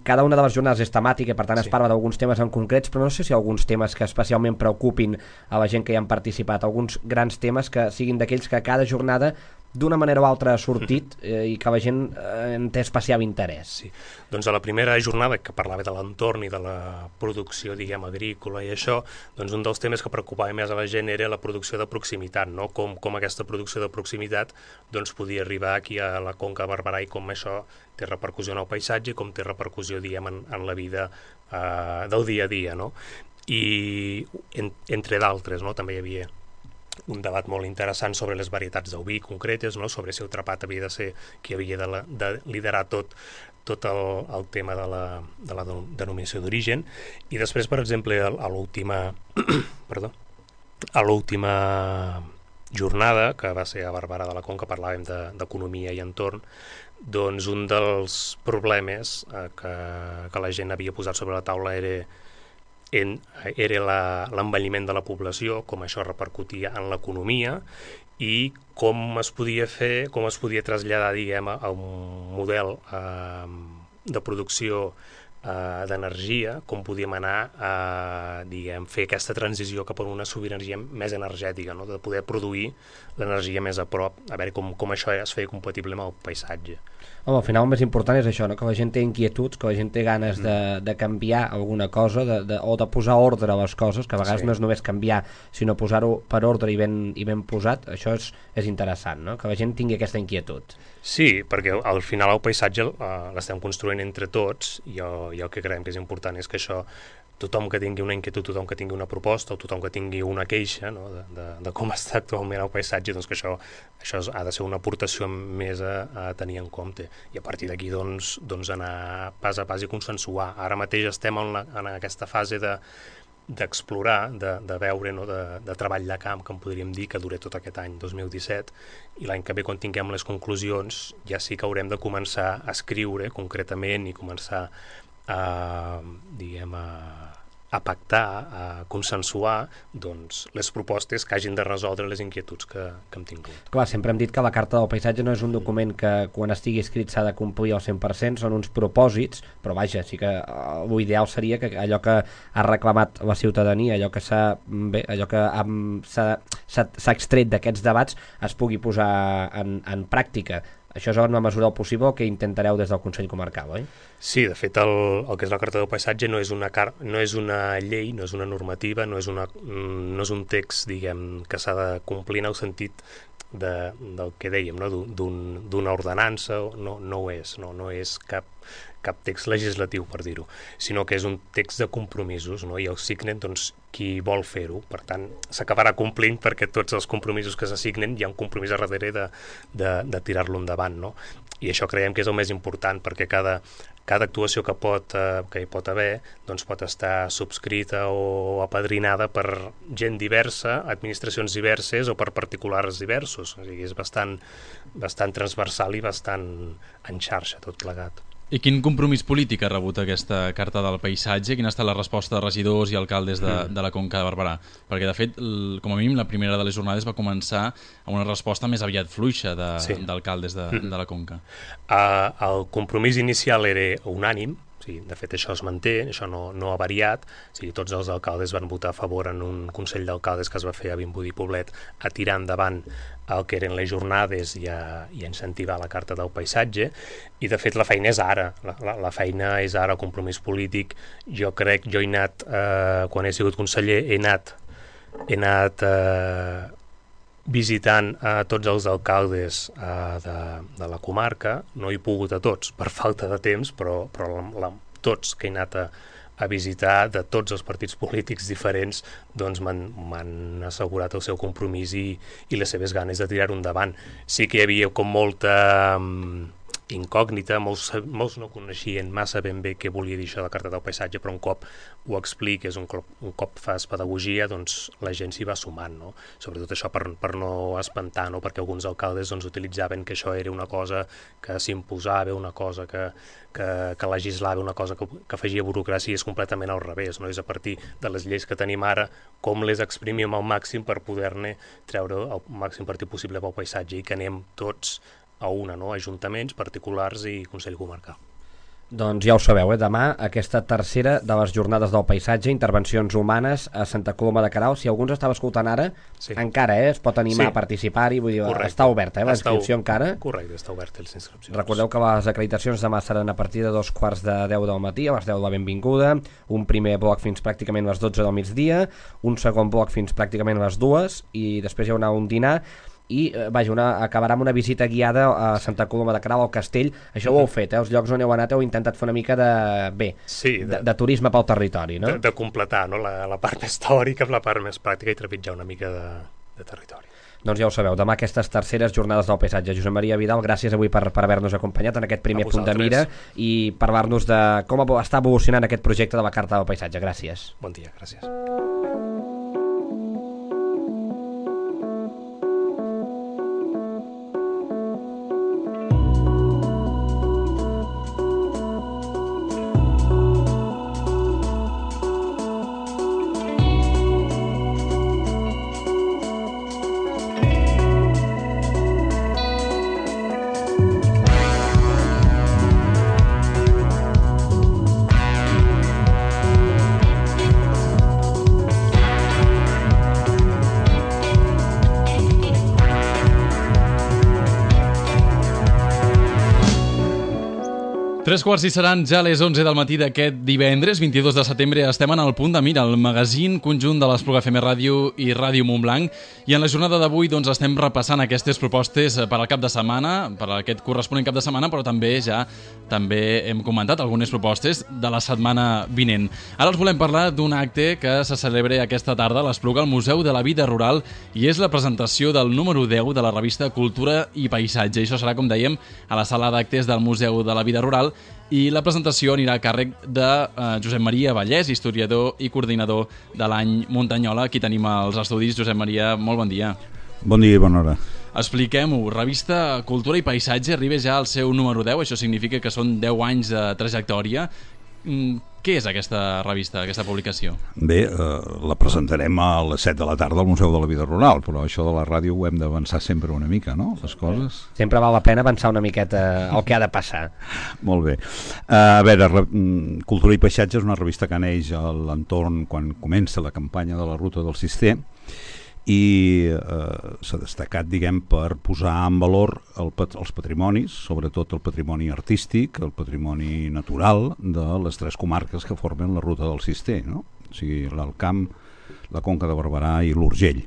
Cada una de les jornades és temàtica, per tant es parla d'alguns temes en concrets, però no sé si hi ha alguns temes que especialment preocupin a la gent que hi han participat, alguns grans temes que siguin d'aquells que cada jornada d'una manera o altra ha sortit i que la gent en té especial interès. Sí. Doncs a la primera jornada, que parlava de l'entorn i de la producció, diguem, agrícola i això, doncs un dels temes que preocupava més a la gent era la producció de proximitat, no? Com aquesta producció de proximitat doncs, podia arribar aquí a la Conca de Barberà, i com això té repercussió en el paisatge, com té repercussió, diguem, en la vida del dia a dia, no? I entre d'altres, no? També hi havia un debat molt interessant sobre les varietats del vi concretes, no? Sobre si el Trapat havia de ser qui havia de liderar tot el tema de la denominació d'origen. I després, per exemple, a l'última jornada, que va ser a Barberà de la Conca, parlàvem d'economia i entorn, doncs un dels problemes que la gent havia posat sobre la taula era l'envelliment de la població, com això repercutia en l'economia i com es podia traslladar, diguem, a un model de producció d'energia, com podíem anar a, diguem, fer aquesta transició cap a una sobirania més energètica, no? De poder produir l'energia més a prop, a veure com això es feia compatible amb el paisatge. Home, al final el més important és això, no? Que la gent té inquietuds, que la gent té ganes de canviar alguna cosa o de posar ordre a les coses, que a vegades no és només canviar, sinó posar-ho per ordre i ben posat. Això és interessant, no? Que la gent tingui aquesta inquietud. Sí, perquè al final el paisatge l'estem construint entre tots, i el que creiem que és important és que això, tothom que tingui una inquietud, tothom que tingui una proposta o tothom que tingui una queixa, no? de com està actualment el paisatge, doncs que això ha de ser una aportació més a tenir en compte, i a partir d'aquí doncs anar pas a pas i consensuar. Ara mateix estem en aquesta fase d'explorar, de veure, no? de treball de camp, que en podríem dir, que dura tot aquest any 2017, i l'any que ve, quan tinguem les conclusions, ja sí que haurem de començar a escriure concretament i començar a a pactar, a consensuar doncs, les propostes que hagin de resoldre les inquietuds que hem tingut. Clar, sempre hem dit que la Carta del Paisatge no és un document que quan estigui escrit s'ha de complir al 100%, són uns propòsits, però vaja, sí que l'ideal seria que allò que ha reclamat la ciutadania, allò que s'ha extret d'aquests debats es pugui posar en pràctica. Això és en la mesura del possible el que intentareu des del Consell Comarcal, oi? Sí, de fet, el que és la Carta del Paisatge no és una llei, no és una normativa, no és un text, diguem, que s'ha de complir en el sentit del que dèiem, no? D'una ordenança, no ho és, no és cap text legislatiu, per dir-ho, sinó que és un text de compromisos, no? I el signen doncs, qui vol fer-ho. Per tant, s'acabarà complint perquè tots els compromisos que s'assignen hi ha un compromís a darrere de tirar-lo endavant, no? I això creiem que és el més important, perquè cada actuació que hi pot haver doncs pot estar subscrita o apadrinada per gent diversa, administracions diverses o per particulars diversos. O sigui, és bastant transversal i bastant en xarxa tot plegat. I quin compromís polític ha rebut aquesta Carta del Paisatge? Quina ha estat la resposta de regidors i alcaldes de la Conca de Barberà? Perquè, de fet, com a mínim, la primera de les jornades va començar amb una resposta més aviat fluixa d'alcaldes de la Conca. El compromís inicial era unànim. Sí, de fet, això es manté, això no ha variat. O sigui, tots els alcaldes van votar a favor en un Consell d'Alcaldes que es va fer a Vimbodí i Poblet a tirar endavant el que eren les jornades i a incentivar la Carta del Paisatge. I, de fet, la feina és ara. La feina és ara, el compromís polític. Jo he anat, quan he sigut conseller, he anat visitant a tots els alcaldes de la comarca. No he pogut a tots per falta de temps, però tots que he anat a visitar de tots els partits polítics diferents doncs m'han assegurat el seu compromís i les seves ganes de tirar-ho endavant. Sí que hi havia com molta incògnita, molts no coneixien massa ben bé què volia dir això de la Carta del Paisatge, però un cop ho expliques, un cop fas pedagogia, doncs la gent s'hi va sumant, no? Sobretot això per no espantar, no? Perquè alguns alcaldes doncs, utilitzaven que això era una cosa que s'imposava, una cosa que legislava, una cosa que afegia burocràcia, i és completament al revés, no? És a partir de les lleis que tenim ara, com les exprimim al màxim per poder-ne treure el màxim partit possible pel paisatge i que anem tots a una, no? Ajuntaments, particulars i Consell Comarcal. Doncs ja ho sabeu, demà aquesta tercera de les jornades del paisatge, intervencions humanes a Santa Coloma de Queralt. Si algú ens estava escoltant ara, encara es pot animar a participar-hi, vull dir, està oberta la inscripció encara. Correcte, està oberta les inscripcions. Recordeu que les acreditacions demà seran a partir de 2:45 del matí, a les 10 de la benvinguda, un primer bloc fins pràcticament a les 12 del migdia, un segon bloc fins pràcticament a les 2 i després hi haurà un dinar i acabarà amb una visita guiada a Santa Coloma de Queralt, al castell. Això ho heu fet, els llocs on heu anat heu intentat fer una mica de turisme pel territori, no? De completar, no? La part més teòrica amb la part més pràctica i trepitjar una mica de territori. Doncs ja ho sabeu, demà aquestes terceres jornades del paisatge. Josep Maria Vidal, gràcies avui per haver-nos acompanyat en aquest primer punt de mira i parlar-nos de com està evolucionant aquest projecte de la Carta del Paisatge. Gràcies. Bon dia, gràcies. Tres quarts i seran ja les 11 del matí d'aquest divendres, 22 de setembre. Estem en el punt de mira, el magazín conjunt de l'Espluga FM Ràdio i Ràdio Montblanc. I en la jornada d'avui doncs, estem repassant aquestes propostes per al cap de setmana, per a aquest corresponent cap de setmana, però també hem comentat algunes propostes de la setmana vinent. Ara els volem parlar d'un acte que se celebra aquesta tarda a l'Espluga, al Museu de la Vida Rural, i és la presentació del número 10 de la revista Cultura i Paisatge. Això serà, com dèiem, a la sala d'actes del Museu de la Vida Rural, i la presentació anirà a càrrec de Josep Maria Vallès, historiador i coordinador de l'any Muntanyola. Aquí tenim els estudis. Josep Maria, molt bon dia. Bon dia i bona hora. Expliquem-ho, revista Cultura i Paisatge arriba ja al seu número 10, això significa que són 10 anys de trajectòria. Què és aquesta revista, aquesta publicació? Bé, la presentarem a les 7 de la tarda al Museu de la Vida Rural, però això de la ràdio ho hem d'avançar sempre una mica, no?, les coses. Sempre val la pena avançar una miqueta el que ha de passar. Molt bé. A veure, Cultura i Paisatge és una revista que neix a l'entorn quan comença la campanya de la Ruta del Cister, i s'ha destacat, diguem, per posar en valor els patrimonis, sobretot el patrimoni artístic, el patrimoni natural de les 3 comarques que formen la Ruta del Cister, no? O sigui, l'Alt Camp, la Conca de Barberà i l'Urgell.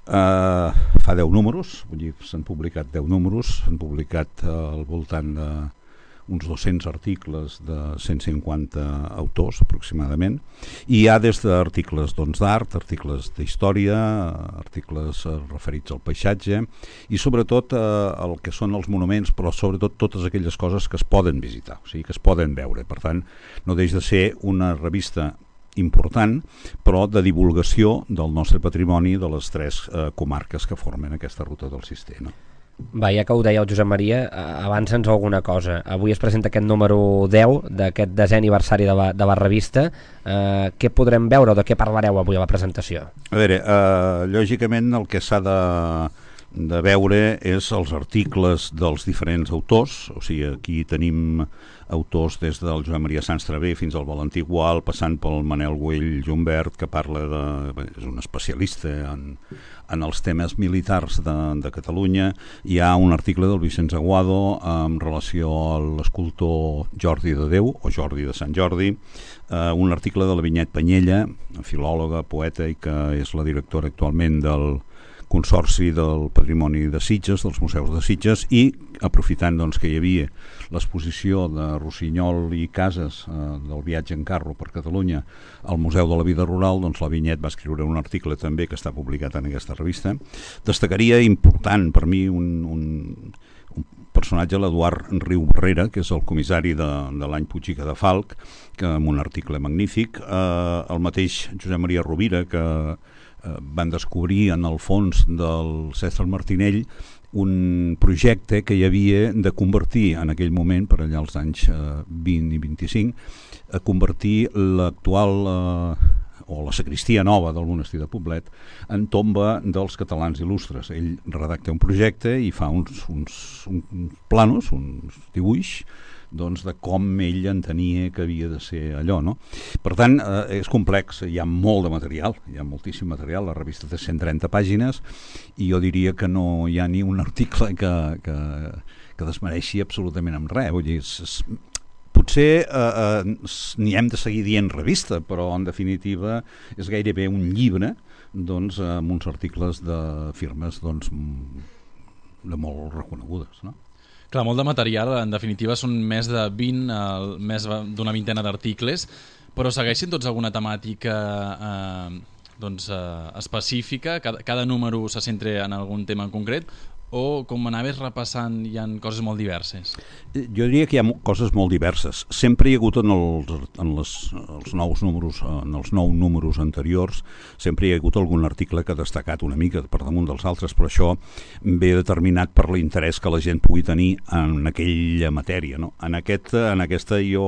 Fa 10 números, vull dir, s'han publicat 10 números, s'han publicat al voltant de uns 200 articles de 150 autors aproximadament, i hi ha des d'articles d'art, articles d'història, articles referits al paisatge i sobretot el que són els monuments, però sobretot totes aquelles coses que es poden visitar, o sigui, que es poden veure. Per tant, no deix de ser una revista important, però de divulgació del nostre patrimoni de les 3 comarques que formen aquesta Ruta del Cister, no? Va, ja que ho deia el Josep Maria, avança'ns alguna cosa. Avui es presenta aquest número 10 d'aquest 10è aniversari de la revista. Què podrem veure o de què parlareu avui a la presentació? A veure, lògicament el que s'ha de veure és els articles dels diferents autors, o sigui, aquí tenim autors des del Joan Maria Sans Travé fins al Valentí Gual, passant pel Manel Güell Jumbert, que parla és un especialista en els temes militars de Catalunya. Hi ha un article del Vicenç Aguado en relació a l'escultor Jordi de Déu, o Jordi de Sant Jordi, un article de la Vinyet Panyella, filòloga, poeta, i que és la directora actualment del Consorci del Patrimoni de Sitges, dels Museus de Sitges, i aprofitant doncs, que hi havia l'exposició de Rossinyol i Casas del viatge en carro per Catalunya al Museu de la Vida Rural, doncs la Vinyet va escriure un article també que està publicat en aquesta revista. Destacaria important per mi un personatge, l'Eduard Riu Barrera, que és el comissari de l'any Puig i Cadafalch, que amb un article magnífic, el mateix Josep Maria Rovira, que van descobrir en el fons del Cèsar Martinell un projecte que hi havia de convertir en aquell moment, per allà als anys 20 i 25, a convertir l'actual o la sagristia nova del monestir de Poblet en tomba dels catalans il·lustres. Ell redacta un projecte i fa uns planos, uns dibuix, doncs, de com ell entenia que havia de ser allò, no? Per tant, és complex, hi ha molt de material, hi ha moltíssim material, la revista té 130 pàgines i jo diria que no hi ha ni un article que desmereixi absolutament amb res. Vull dir, potser n'hi hem de seguir dient revista, però en definitiva és gairebé un llibre, doncs, amb uns articles de firmes, doncs, de molt reconegudes, no? Clar, molt de material, en definitiva són més de 20, més d'una vintena d'articles, però segueixen tots alguna temàtica específica? Cada número se centra en algun tema en concret? O, com anaves repassant, hi ha coses molt diverses? Jo diria que hi ha coses molt diverses. Sempre hi ha hagut en els 9 números anteriors, sempre hi ha hagut algun article que ha destacat una mica per damunt dels altres, però això ve determinat per l'interès que la gent pugui tenir en aquella matèria, no? En aquesta jo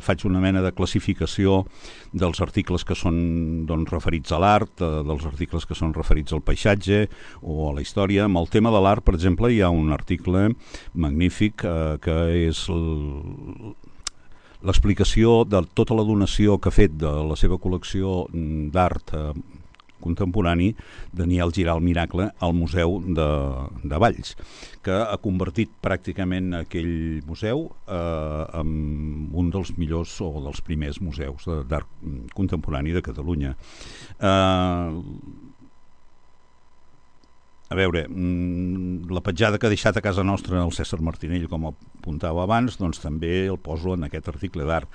faig una mena de classificació dels articles que són, doncs, referits a l'art, dels articles que són referits al paisatge o a la història. Amb el tema de l'art, per exemple, hi ha un article magnífic que és l'explicació de tota la donació que ha fet de la seva col·lecció d'art contemporani Daniel Giral Miracle al Museu de Valls, que ha convertit pràcticament aquell museu en un dels millors o dels primers museus d'art contemporani de Catalunya. A veure, la petjada que ha deixat a casa nostra el Cèsar Martinell, com apuntava abans, doncs també el poso en aquest article d'art.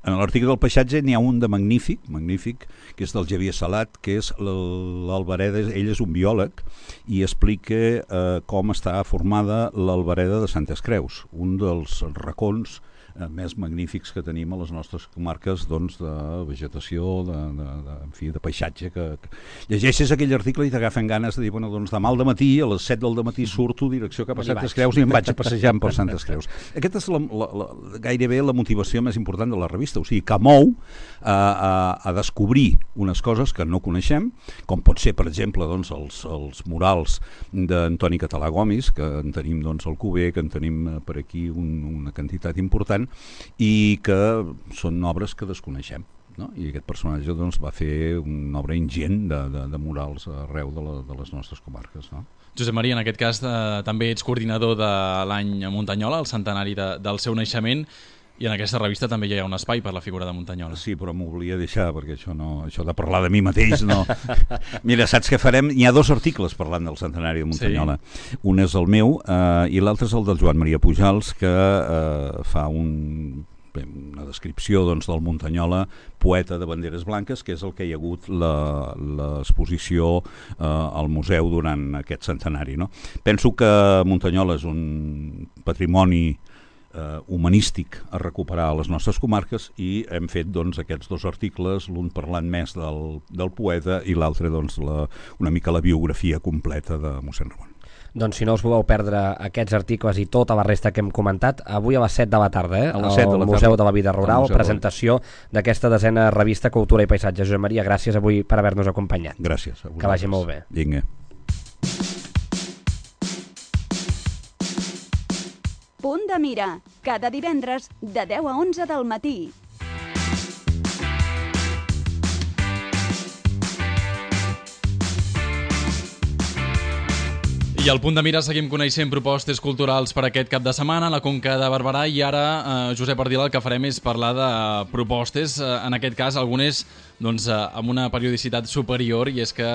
En l'article del paisatge n'hi ha un de magnífic, que és del Xavier Salat, que és l'Albereda. Ell és un biòleg i explica com està formada l'Albereda de Santes Creus, un dels racons més magnífics que tenim a les nostres comarques, doncs, de vegetació, en fi, de paisatge. Llegeixes aquell article i t'agafen ganes de dir, bueno, doncs demà al dematí, a les 7 del dematí surto direcció cap a Santes Creus i em vaig a passejar per Santes Creus. Aquesta és gairebé la motivació més important de la revista, o sigui, que mou a descobrir unes coses que no coneixem, com pot ser, per exemple, doncs, els murals d'Antoni Català Gomis, que en tenim doncs, al Cuber, que en tenim per aquí una quantitat important, i que són obres que desconeixem. No? I aquest personatge doncs, va fer una obra ingent de murals arreu de les nostres comarques. No? Josep Maria, en aquest cas també ets coordinador de l'any Muntanyola, el centenari del seu naixement, i en aquesta revista també hi ha un espai per la figura de Muntanyola. Sí, però m'ho volia deixar, perquè això de parlar de mi mateix no... Mira, saps què farem? Hi ha 2 articles parlant del centenari de Muntanyola. Sí. Un és el meu i l'altre és el del Joan Maria Pujals, que fa una descripció doncs, del Muntanyola, poeta de banderes blanques, que és el que hi ha hagut l'exposició al museu durant aquest centenari. No? Penso que Muntanyola és un patrimoni humanístic a recuperar a les nostres comarques i hem fet doncs, aquests 2 articles, l'un parlant més del poeta i l'altre doncs, una mica la biografia completa de mossèn Ramon. Doncs si no us voleu perdre aquests articles i tota la resta que hem comentat, avui a les 7 de la tarda, al Museu de la Vida Rural, presentació d'aquesta 10a revista Cultura i Paisatge. Josep Maria, gràcies avui per haver-nos acompanyat. Gràcies. Que vagi molt bé. Vinga. Punt de mira, cada divendres de 10 a 11 del matí. I al Punt de Mira seguim coneixent propostes culturals per aquest cap de setmana a la Conca de Barberà i ara, Josep Ardila, el que farem és parlar de propostes, en aquest cas algunes doncs, amb una periodicitat superior, i és que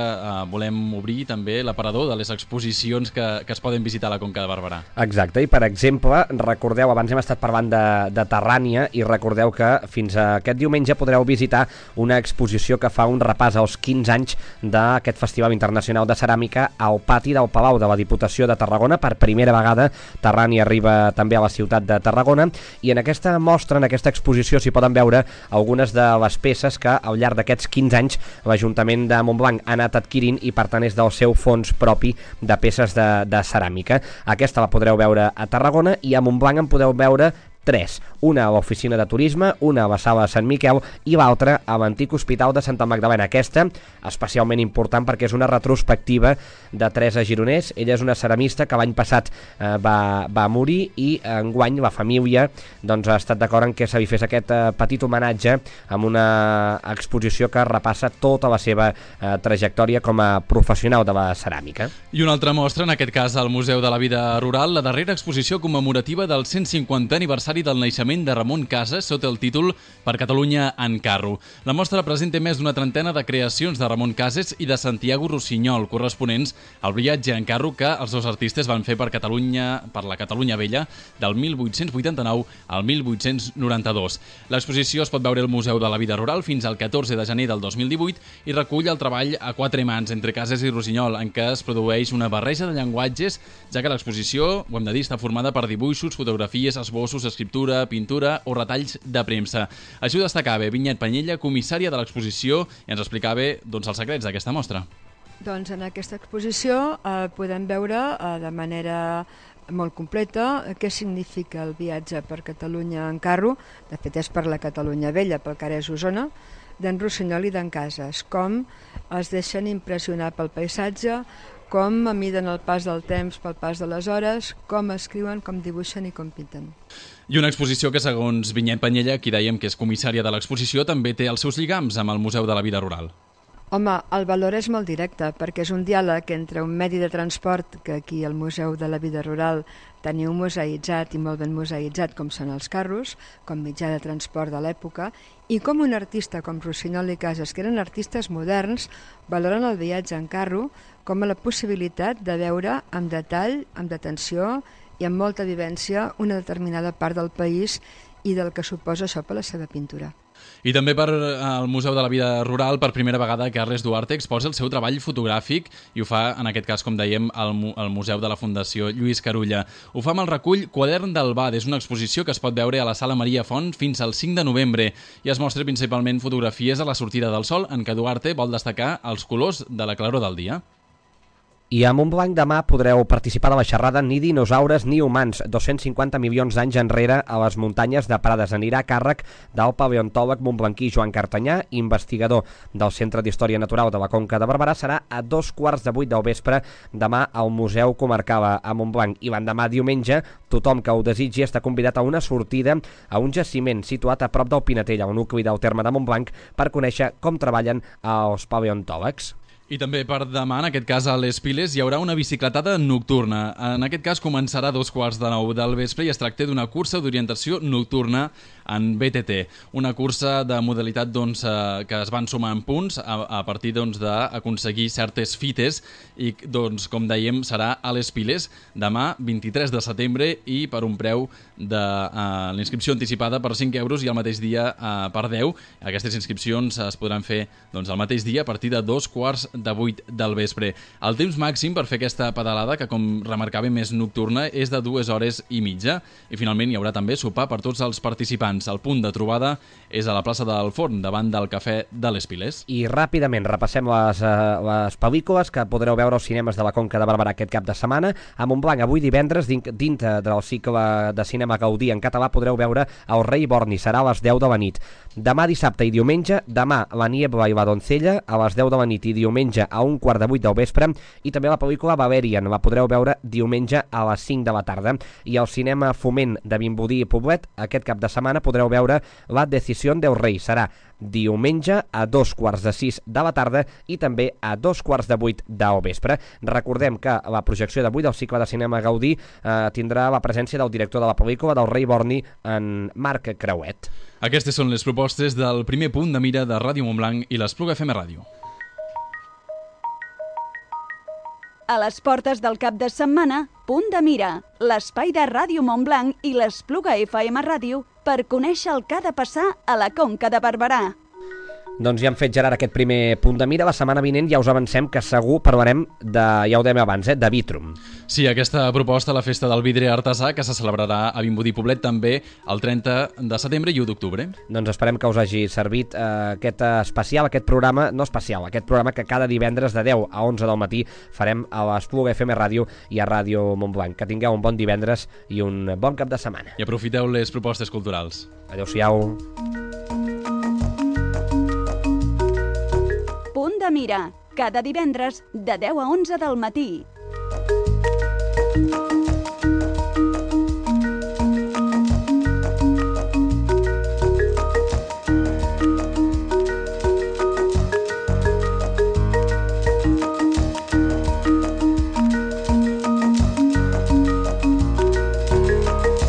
volem obrir també l'aparador de les exposicions que es poden visitar a la Conca de Barberà. Exacte, i per exemple, recordeu, abans hem estat parlant de Terrània, i recordeu que fins a aquest diumenge podreu visitar una exposició que fa un repàs als 15 anys d'aquest Festival Internacional de Ceràmica al pati del Palau de la Diputació de Tarragona. Per primera vegada Terrània arriba també a la ciutat de Tarragona, i en aquesta mostra, en aquesta exposició, s'hi poden veure algunes de les peces que al llarg d'aquests 15 anys l'Ajuntament de Montblanc ha anat adquirint, i per tant és del seu fons propi de peces de ceràmica. Aquesta la podreu veure a Tarragona, i a Montblanc en podeu veure 3. Una a l'oficina de turisme, una a la sala de Sant Miquel i l'altra a l'antic hospital de Santa Magdalena. Aquesta especialment important perquè és una retrospectiva de Teresa Gironès. Ella és una ceramista que l'any passat va morir, i enguany la família doncs, ha estat d'acord en què se li fes aquest petit homenatge amb una exposició que repassa tota la seva trajectòria com a professional de la ceràmica. I una altra mostra, en aquest cas al Museu de la Vida Rural, la darrera exposició commemorativa del 150è aniversari del naixement de Ramon Casas sota el títol Per Catalunya en carro. La mostra presenta més d'una trentena de creacions de Ramon Casas i de Santiago Rossinyol, corresponents al viatge en carro que els dos artistes van fer per la Catalunya Vella del 1889 al 1892. L'exposició es pot veure al Museu de la Vida Rural fins al 14 de gener del 2018 i recull el treball a 4 mans entre Casas i Rossinyol, en què es produeix una barreja de llenguatges, ja que l'exposició, ho hem de dir, està formada per dibuixos, fotografies, esbossos, escriptura, pintura o retalls de premsa. Així ho destacava Vinyet Panyella, comissària de l'exposició, i ens explicava doncs, els secrets d'aquesta mostra. Doncs en aquesta exposició podem veure de manera molt completa què significa el viatge per Catalunya en carro, de fet és per la Catalunya Vella, pel Carrers Osona, d'en Rossinyol i d'en Casas, com es deixen impressionar pel paisatge, com miden el pas del temps pel pas de les hores, com escriuen, com dibuixen i com pinten. I una exposició que, segons Vinyet Panyella, qui dèiem que és comissària de l'exposició, també té els seus lligams amb el Museu de la Vida Rural. Home, el valor és molt directe, perquè és un diàleg entre un medi de transport, que aquí al Museu de la Vida Rural teniu museïtzat i molt ben museïtzat, com són els carros, com mitjà de transport de l'època, i com un artista com Rossinyol i Casas, que eren artistes moderns, valoren el viatge en carro com a la possibilitat de veure amb detall, amb detenció i amb molta vivència una determinada part del país i del que suposa això per la seva pintura. I també per al Museu de la Vida Rural, per primera vegada, Carles Duarte exposa el seu treball fotogràfic i ho fa, en aquest cas, com dèiem, al Museu de la Fundació Lluís Carulla. Ho fa amb el recull Quadern del Bad. És una exposició que es pot veure a la Sala Maria Font fins al 5 de novembre i es mostra principalment fotografies a la sortida del sol en què Duarte vol destacar els colors de la claror del dia. I a Montblanc demà podreu participar de la xerrada Ni dinosaures ni humans, 250 milions d'anys enrere a les muntanyes de Prades. Anirà a càrrec del paleontòleg montblanquí Joan Cartanyà, investigador del Centre d'Història Natural de la Conca de Barberà. Serà a 7:15 del vespre demà al Museu Comarcal a Montblanc. I l'endemà, diumenge, tothom que ho desitgi està convidat a una sortida a un jaciment situat a prop del Pinatell, al nucli del terme de Montblanc, per conèixer com treballen els paleontòlegs. I també per demà, en aquest cas a les Piles, hi haurà una bicicletada nocturna. En aquest cas començarà a 9:15 del vespre i es tracta d'una cursa d'orientació nocturna en BTT. Una cursa de modalitat que es van sumar en punts a partir d'aconseguir certes fites i, com dèiem, serà a les Piles demà 23 de setembre i per un preu de l'inscripció anticipada per 5 euros i el mateix dia per 10. Aquestes inscripcions es podran fer el mateix dia a partir de 7:15 del vespre. El temps màxim per fer aquesta pedalada, que com remarcàvem és nocturna, és de 2 hores i mitja. I finalment hi haurà també sopar per tots els participants. El punt de trobada és a la plaça del Forn, davant del Cafè de les Piles. I ràpidament repassem les pel·lícules que podreu veure als cinemes de la Conca de Barberà aquest cap de setmana. A Montblanc, avui divendres, dintre del cicle de cinema Gaudí en català, podreu veure El rei Borni, serà a les 10 de la nit. Demà dissabte i diumenge, demà La niebla i la doncella, a les 10 de la nit i diumenge a 7:15 del vespre, i també la pel·lícula Valerian, la podreu veure diumenge a les 5 de la tarda. I al cinema Foment de Vimbodí i Poblet, aquest cap de setmana podreu veure La decisió del rei, serà diumenge a 7:15 de la tarda i també a 7:15 del vespre. Recordem que la projecció d'avui del cicle de cinema Gaudí tindrà la presència del director de la pel·lícula del rei Borni, en Marc Creuet. Aquestes són les propostes del primer punt de mira de Ràdio Montblanc i l'Espluga FM Ràdio. A les portes del cap de setmana, Punt de Mira, l'espai de Ràdio Montblanc i l'Espluga FM Ràdio per conèixer el que ha de passar a la Conca de Barberà. Doncs ja hem fet, Gerard, aquest primer punt de mira. La setmana vinent ja us avancem que segur parlarem de, ja ho dèiem abans, de Vitrum. Sí, aquesta proposta, la festa del vidre artesà, que se celebrarà a Vimbodí Poblet també el 30 de setembre i 1 d'octubre. Doncs esperem que us hagi servit aquest especial, aquest programa, no especial, aquest programa que cada divendres de 10 a 11 del matí farem a l'Espluga FM Ràdio i a Ràdio Montblanc. Que tingueu un bon divendres i un bon cap de setmana. I aprofiteu les propostes culturals. Adéu-siau. Punt de Mira, cada divendres de 10 a 11 del matí.